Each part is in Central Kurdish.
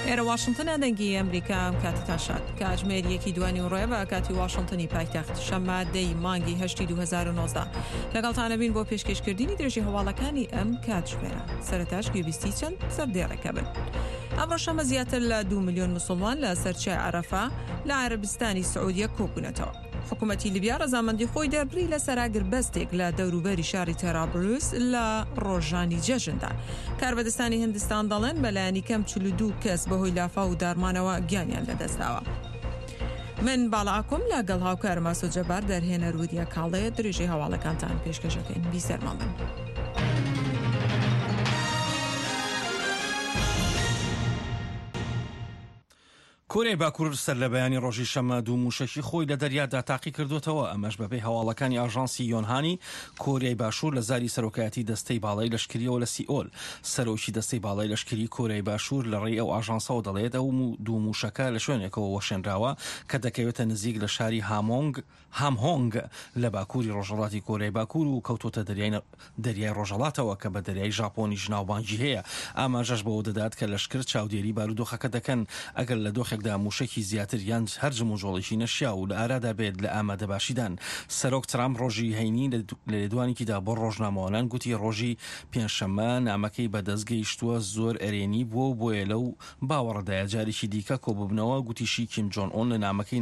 ئێرە واشنتنە دەنگی ئەمریکا ئەم کاتتان شاد کاتژمێر یەکی دوانی و ڕێ بە کاتی واشنتنی پایتەخت شەممە دەی مانگی هەشتی 2019 لەگەڵتانە بین بۆ پێشکەشکردنی درێژی هەواڵەکانی ئەم کاتژمێرە سەرەتاش گوێبیستی چەند سەردێڕێکە بن. ئەمڕۆ شەمە زیاتر لە دو میلیۆن مسلمان لە سەرچای عەرەفە لە عەرەبستانی سعودیە کۆبوونەتەوە. حکوومەتی لیبیا ڕەزامەندی خۆی دەربڕی لەسەر ئاگربەستێک لە دەوروبەری شاری تەرابلوس لە ڕۆژانی جەژندا. کاربەدەستانی هندستان دەڵێن بەلایەنی کەم 42 کەس بەهۆی لافاو و داڕمانەوە گیانیان لەدەستداوە. من باڵا ئاکۆم لەگەڵ هاوکارم ئاسۆ جەبار دەرهێنەر وریا کاڵێ درێژەی هەواڵەکانتان پێشکەشەکەین بیسەرمان بن. کۆریای باکوور سەرلەبەیانی ڕۆژی شەممە دوو مووشەکی خۆی لە دەریادا تاقی کردووەتەوە، ئەمەش بەپێی هەواڵەکانی ئاژانسی یۆنهانی کۆریای باشوور لە زاری سەرۆکایەتی دەستەی باڵای لەشکرییەوە لە سیئۆل. سەرۆکی دەستەی باڵای لەشکریی کۆریای باشوور لە ڕێی ئەو ئاژانسەوە دەڵێت ئەو دوو مووشەکە لە شوێنێکەوە وەشێنراوە کە دەکەوێتە نزیک لە شاری هامۆنگ هامهۆنگ لە باکووری ڕۆژهەڵاتی کۆریای باکوور و کەوتۆتە دەریای دەریای ڕۆژهەڵاتەوە کە بە دەریای ژاپۆنیش ناوبانگی هەیە. ئاماژەش بەوە دەدات کە لەشکر چاودێری بارودۆخەکە دەکەن ئەگەر لە دۆخێکدا مووشەکی زیاتر یان هەر جموجۆڵێکی نەشیاو لە ئارادا بێت لە ئامادەباشیدان. سەرۆک ترامپ ڕۆژی هەینی لە لێدوانێکیدا بۆ ڕۆژنامەوانان گوتی ڕۆژی پێنجشەممە نامەکەی بەدەست گەیشتووە زۆر ئەرێنی بووە و بۆیە لەو باوەڕدایە جارێکی دیکە کۆببنەوە، گوتیشی کیم جۆن ئۆن لە نامەکەی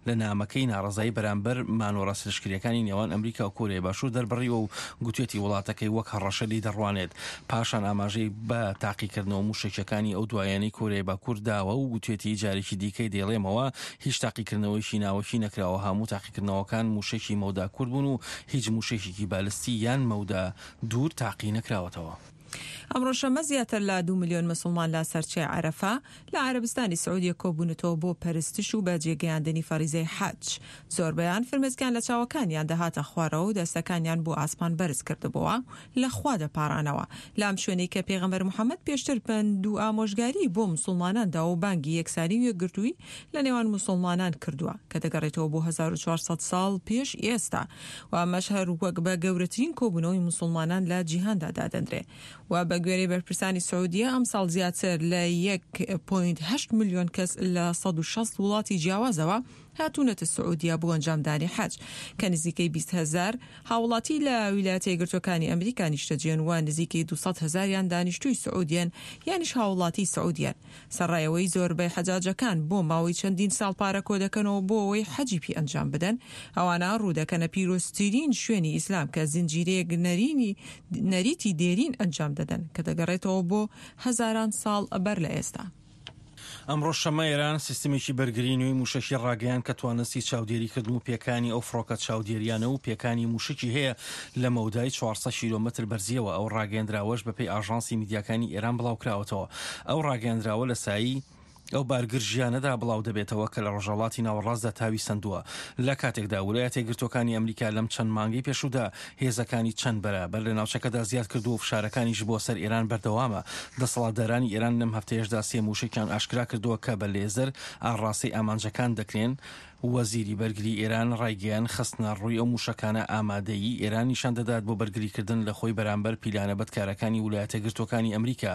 لە نامەکەی ناڕەزایی بەرامبەر مانۆڕە لەشکرییەکانی نێوان ئەمریکا و کۆریای باشوور دەربڕیوە و گوتویەتی وڵاتەکەی وەک هەڕەشە لێی دەڕوانێت. پاشان ئاماژەی بە تاقیکردنەوە مووشەکییەکانی ئەو دوایانەی کۆریای باکوور داوە و گوتویەتی جارێکی دیکەی دەیڵێمەوە هیچ تاقیکردنەوەیەکی ناوەکی نەکراوە، هەموو تاقیکردنەوەکان مووشەکی مەودا کورت بوون و هیچ مووشەکێکی بالستی یان مەودا دوور تاقی نەکراوەتەوە. ئەمڕۆ شەممە زیاتر لە دوو ملیۆن مسوڵمان لە سەرچیای عەرەفە لە عەرەبستانی سعودیە کۆبوونەتەوە بۆ پەرستش و بەجێ گەیاندنی فەریزەی حەج. زۆربەیان فرمێسکیان لە چاوەکانیان دەهاتە خوارەوە و دەستەکانیان بۆ ئاسمان بەرز کردبۆوە و لە خوا دەپاڕانەوە لام شوێنەی کە پێغەمبەر محەمەد پێشتر پەند و ئامۆژگاری بۆ مسوڵمانان داوە و بانگی یەکسانی و یەکگرتووی لە نێوان موسوڵمانان کردووە کە دەگەڕێتەوە بۆ 1400 ساڵ پێش ئێستا و ئەمەش هەر وەک بە گەورەترین کۆبوونەوەی موسوڵمانان لە جیهاندا دادەنرێ و بە گوێرەی بەرپرسانی سعودیە ئەمساڵ زیاتر لە 1.8 ملیۆن کەس لە 160 وڵاتی جیاوازەوە هاتوونەتە سعودیە بۆ ئەنجامدانی حەج کە نزیکەی 20 هەزار هاوڵاتی لە ویلایەتە یەکگرتووەکانی ئەمریکا نیشتەجێن و نزیکەی 200 هەزاریان دانیشتووی سعودیەن یانیش هاوڵاتی سعودیەن. سەرڕای ئەوەی زۆربەی حەجاجەکان بۆ ماوەی چەندین ساڵ پارە کۆدەکەنەوە بۆ ئەوەی حەجی پی ئەنجام بدەن، ئەوانە ڕوودەکەنە پیرۆزترین شوێنی ئیسلام کە زنجیرەیەک نەرینی نەریتی دێرین ئەنجام دەدەن کە دەگەڕێتەوە بۆ هەزاران ساڵ بەر لە ئێستا. ئەمڕۆ شەممە ئێران سیستمێکی بەرگری نوێی مووشەکی ڕاگەیاند کە توانستی چاودێریکردن و پێکانی ئەو فڕۆکە چاودێریانە و پێکانی مووشەکی هەیە لە مەودای 400 کیلۆمەتر بەرزییەوە، ئەو ڕاگەیەندراوەش بەپێی ئاژانسی میدیاکانی ئێران بڵاوکراوەتەوە. ئەو ڕاگەیەندراوە لە سایەی ئەو بارگرژییانەدا بڵاودەبێتەوە کە لە ڕۆژهەڵاتی ناوەڕاستدا تاوی سەندووە، لە کاتێکدا ولایەتە یەکگرتووەکانی ئەمریکا لەم چەند مانگەی پێشوودا هێزەکانی چەند بەرابەر لە ناوچەکەدا زیاد کردووە و فشارەکانیش بۆ سەر ئێران بەردەوامە. دەسەڵاتدارانی ئێران لەم هەفتەیەشدا سێ مووشەکیان ئاشکرا کردووە کە بە لێزەر ئاڕاستەی ئامانجەکان دەکرێن. وەزیری بەرگری ئێران ڕایگەیاند، خستنەڕووی ئەو مووشەکانە ئامادەیی ئێران نیشان دەدات بۆ بەرگریکردن لە خۆی بەرامبەر پیلانە بەدکارەکانی ولایەتەگرتووەکانی ئەمریکا.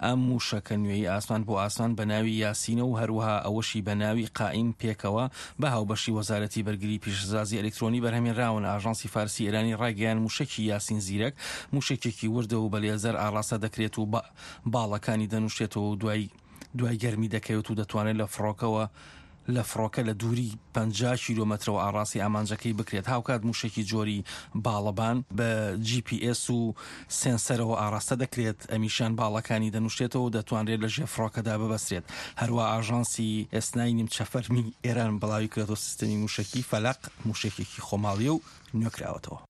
ئەم مووشەکە نوێی ئاسمان بۆ ئاسمان بە ناوی یاسینە و هەروەها ئەوەشی بە ناوی قائیم پێکەوە بە هاوبەشی وەزارەتی بەرگری پیشەسازی ئەلکترۆنی بەرهەمهێنراون. ئاژانسی فارسی ئێرانی ڕایگەیاند، مووشەکی یاسین زیرەک مووشەکێکی وردە و بە لێزەر ئاڕاستە دەکرێت و باڵەکانی دەنووشێتەوە و دوای دوای گەرمی دەکەوێت و دەتوانێت لە فڕۆکەوە لە فڕۆکە لە دووری 50 کیلۆمەترەوە ئاڕاستەی ئامانجەکەی بکرێت، هاوکات مووشەکی جۆری باڵەبان بە جی پی ئێس و سێنسەرەوە ئاڕاستە دەکرێت، ئەمیشیان باڵەکانی دەنووشێتەوە و دەتوانرێت لە ژێر فڕۆکەدا ببەسترێت. هەروا ئاژانسی ئێسنای نیمچە فەرمی ئێران بڵاویکردەوە سیستەمی مووشەکی فەلەق مووشەکێکی خۆماڵییە و نوێکراوەتەوە.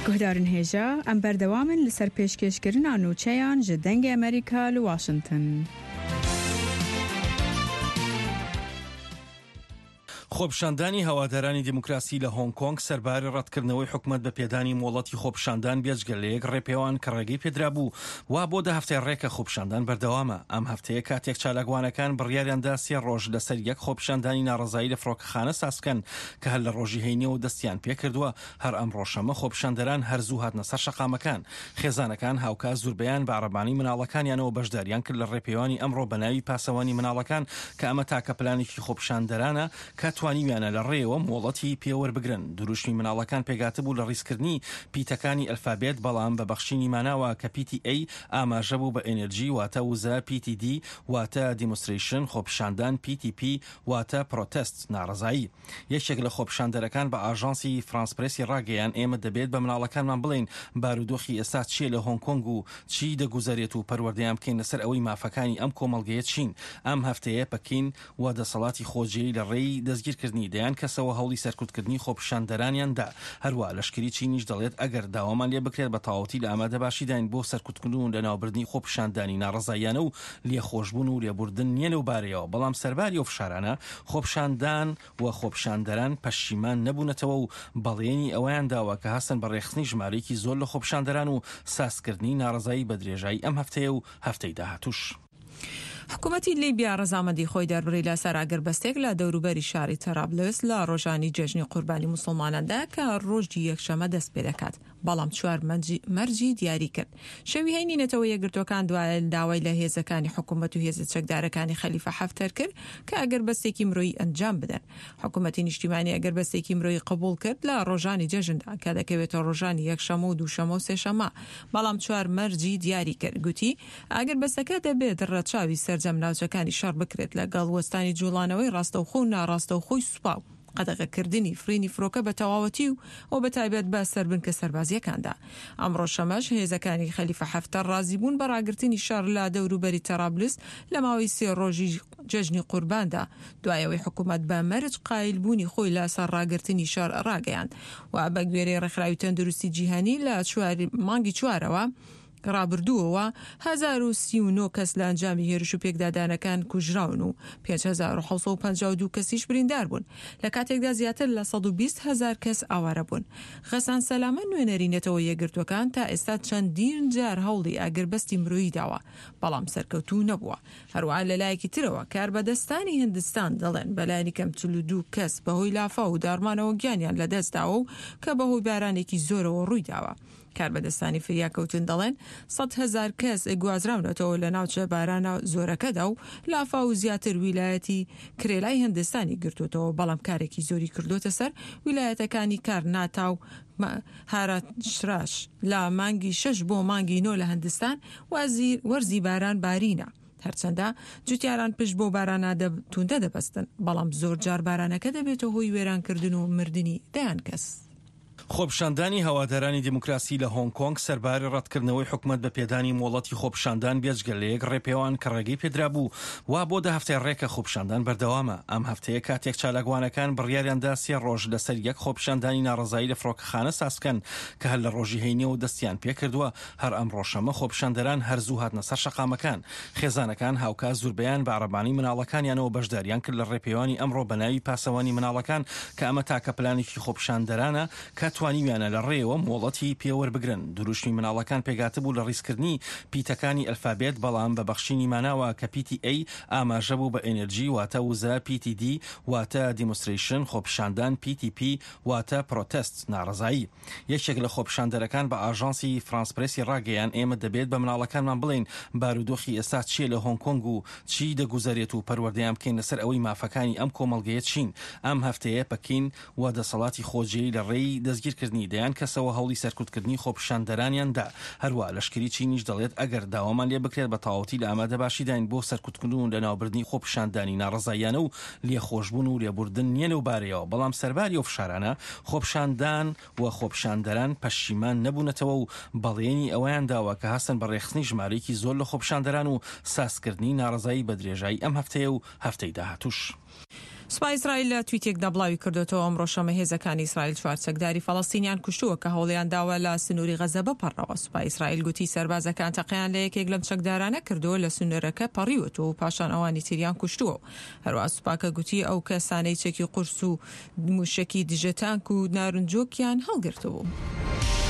Guhdarên hêja, em berdewam in li ser pêşkêşkirina nûçeyan ji Dengê Amerîka li Washington. خۆپیشاندانی هەوادارانی دیموکراسی لە هۆنگ کۆنگ سەرباری ڕەتکردنەوەی حکومەت بە پێدانی مۆڵەتی خۆپیشاندان بێجگە لە یەک ڕێپێوان کە ڕێگەی پێدرابوو وا بۆ دە هەفتەی ڕێکە خۆپیشاندان بەردەوامە. ئەم هەفتەیە کاتێک چالاکوانەکان بڕیاریان دا سێ ڕۆژ لەسەر یەک خۆپیشاندانی ناڕەزایی لە فڕۆکەخانە ساز بکەن کە هەر لە ڕۆژی هەینیەوە دەستیان پێکردووە هەر ئەمڕۆ شەممە خۆپیشاندەران هەر زوو هاتنە سەر شەقامەکان. خێزانەکان هاوکات زوربەیان بە عەرەبانەی مناڵەکانیانەوە بەشداریان کرد لە ڕێپێوانی ئەمڕۆ بە ناوی پاسەوانی مناڵەکان کە ئەمە تاکە پلانێکی خۆپیشاندەرانە کە توانیویانە لە ڕێیەوە مۆڵەتی پێ وەربگرن. دروشمی مناڵەکان پێکهاتبوو لە ڕیزکردنی پیتەکانی ئەلفابێت بەڵام بە بەخشینی ماناوە کە پیتی A ئاماژە بوو بە energy واتە وزە، پیتی D واتە Demonstration خۆپیشاندان، پیتی P واتە Protest ناڕەزایی. یەکێک لە خۆپیشاندەرەکان بە ئاژانسی فرانس پرێسی ڕاگەیان، ئێمە دەبێت بە مناڵەکانمان بڵێین بارودۆخی ئێستا چییە لە هۆنگ کۆنگ و چی دەگوزەرێت و پەروەردەیان بکەین لەسەر ئەوەی مافەکانی ئەم کۆمەڵگەیە چین. ئەم هەفتەیە پەکین و دەسەڵاتی خۆجێی لە ڕێی دەستگیرکردنی دەیان کەسەوە هەوڵی سەرکوتکردنی خۆپیشاندەرانیان دا. هەروا لەشکری چینیش دەڵێت ئەگەر داوامان لێ بکرێت بە تەواوەتی لە ئامادەباشیداین بۆ سەرکوتکردن و لەناوبردنی خۆپیشاندانی ناڕەزاییانە و لێخۆشبوون و لێبوردن نییە لەو بارەیەوە، بەڵام سەرباری ئەو فشارانە، خۆپیشاندان و خۆپیشاندەران پەشیمان نەبوونەتەوە و بەڵێنی ئەوەیان داوە کە هەستن بە ڕێکخستنی ژمارەیەکی زۆر لە خۆپیشاندەران و سازکردنی ناڕەزایی بە درێژایی ئەم هەفتەیە و هەفتەی داهاتووش. حکومەتی لیبیا ڕەزامەندی خۆی دەربڕی لەسەر ئاگربەستێک لە دەوروبەری شاری تەرابلس لە ڕۆژانی جەژنی قوربانی موسڵماناندا کە ڕۆژی یەکشەمە دەست پێدەکات. بەڵام چوار مەرجی دیاری کرد. شەوی هەینی نەتەوە یەکگرتووەکان دوای داوای لە هێزەکانی حکومەت و هێزە چەکدارەکانی خەلیفە حەفتەر کرد کە ئەگەربەستێکی مرۆیی ئەنجام بدەن. حکومەتی نیشتیمانی ئەگەربەستێکی مرۆیی قبوڵ کرد لە ڕۆژانی جەژندا کە دەکەوێتە ڕۆژانی یەکشەمە و دووشەمە و سێشەمە، بەڵام چوار مەرجی دیاری کرد. گوتی، ئاگربەستەکە دەبێت ڕەچاوی سەرجەم ناوچەکانی شەڕ بکرێت لەگەڵ وەستانی جوڵانەوەی ڕاستەوخۆ و ناڕاستەوخۆی سوپا و قەدەغەکردنی فڕینی فرۆکە بە تەواوەتی و و بە تایبەت بە سەر بنکە سەربازییەکاندا. ئەمڕۆ شەمەش هێزەکانی خەلیفە حەفتەر ڕازیبوون بە ڕاگرتنی شەڕ لە دەوروبەری تەرابلس لە ماوەی سێ ڕۆژی جەژنی قورباندا دوای ئەوەی حکومەت بە مەرج قایلبوونی خۆی لە سەر ڕاگرتنی شەڕ ڕاگەیاند و بە گوێرەی ڕێکخراوی تەندروستی جیهانی لە چوار مانگی چوارەوە ڕابردووەوە 1039 کەس لە ئەنجامی هێرش و پێکدادانەکان کوژراون و 5752 کەسیش بریندار بوون، لە کاتێکدا زیاتر لە 120 هەزار کەس ئاوارە بوون. غەسان سەلامە نوێنەری نەتەوە یەکگرتووەکان تا ئێستا چەندین جار هەوڵی ئاگربەستی مرۆیی داوە، بەڵام سەرکەوتوو نەبووە. هەروەها لەلایەکی ترەوە کاربەدەستانی هندستان دەڵێن بەلایەنی کەم 42 کەس بەهۆی لافاو و داڕمانەوە گیانیان لەدەستداوە و کە بەهۆی بارانێکی زۆرەوە ڕوویداوە. کاربەدەستانی فریاکەوتن دەڵێن 100,000 کەس گوازراونەتەوە لە ناوچە بارانە زۆرەکەدا و لافاو زیاتر ویلایەتی کرێلای هندستانی گرتووەتەوە، بەڵام کارێکی زۆری کردووەتە سەر ویلایەتەکانی کارناتا و مهاراشتراش. لە مانگی شەش بۆ مانگی نۆ لە هندستان وەرزی باران بارینە. هەرچەندە جوتیاران پشت بەو بارانە توندە دەبەستن، بەڵام زۆرجار بارانەکە دەبێتە هۆی وێرانکردن و مردنی دەیان کەس. خۆپیشاندانی هەوادارانی دیموکراسی لە هۆنگ کۆنگ سەرباری ڕەتکردنەوەی حکومەت بە پێدانی مۆڵەتی خۆپیشاندان بێجگە لە یەک ڕێپێوان کە ڕێگەی پێدرابوو وا بۆ دە هەفتەی ڕێکە خۆپیشاندان بەردەوامە. ئەم هەفتەیە کاتێک چالاکوانەکان بڕیاریان دا سێ ڕۆژ لەسەر یەک خۆپیشاندانی ناڕەزایی لە فڕۆکەخانە ساز بکەن کە هەر لە ڕۆژی هەینیەوە دەستیان پێکردووە هەر ئەمڕۆ شەممە خۆپیشاندەران هەر زوو هاتنە سەر شەقامەکان. خێزانەکان هاوکات زوربەیان بە عەرەبانەی مناڵەکانیانەوە بەشداریان کرد لە ڕێپێوانی ئەمڕۆ بە ناوی پاسەوانی مناڵەکان کە ئەمە تاکە پلانێکی خۆپیشاندەرانە کە توانیویانە لە ڕێیەوە مۆڵەتی پێ وەربگرن. دروشمی مناڵەکان پێکهاتبوو لە ڕیزکردنی پیتەکانی ئەلفابێت بەڵام بە بەخشینی ماناوە کە پیتی A ئاماژە بوو بە energy واتە وزە، پیتی D واتە Demonstration خۆپیشاندان، پیتی P واتە Protest ناڕەزایی. یەکێک لە خۆپیشاندەرەکان بە ئاژانسی فرانس پرێسی ڕاگەیان، ئێمە دەبێت بە مناڵەکانمان بڵێین بارودۆخی ئێستا چییە لە هۆنگ کۆنگ و چی دەگوزەرێت و پەروەردەیان بکەین لەسەر ئەوەی مافەکانی ئەم کۆمەڵگەیە چین. ئەم هەفتەیە پەکین و دەسەڵاتی خۆجێی لە ڕێی دەستگیرکردنی دەیان کەسەوە هەوڵی سەرکوتکردنی خۆپیشاندەرانیان دا. هەروا لەشکری چینیش دەڵێت ئەگەر داوامان لێ بکرێت بە تەواوەتی لە ئامادەباشیداین بۆ سەرکوتکردن و لەناوبردنی خۆپیشاندانی ناڕەزاییانە و لێخۆشبوون و لێبوردن نییە لەو بارەیەوە، بەڵام سەرباری ئەو فشارانە، خۆپیشاندان و خۆپیشاندەران پەشیمان نەبوونەتەوە و بەڵێنی ئەوەیان داوە کە هەستن بە ڕێکخستنی ژمارەیەکی زۆر لە خۆپیشاندەران و سازکردنی ناڕەزایی بە درێژایی ئەم هەفتەیە و هەفتەی داهاتووش. سوپای ئیسرائیل لە تویتێکدا بڵاوی کردۆتەوە، ئەمڕۆ شەممە هێزەکانی ئیسرائیل چوار چەکداری فەڵەستینیان کوشتووە کە هەوڵیان داوە لە سنووری غەزە بپەڕنەوە. سوپای ئیسرائیل گوتی سەربازەکان تەقەیان لە یەکێک لەم چەکدارانە کردووە لە سنوورەکە پەڕیوەتەوە و پاشان ئەوانی تریان کوشتووە و هەروەها سوپاکە گوتی ئەو کەسانەی چەکی قورس و مووشەکی دژە تانک و نارنجۆکیان هەڵگرتبوو.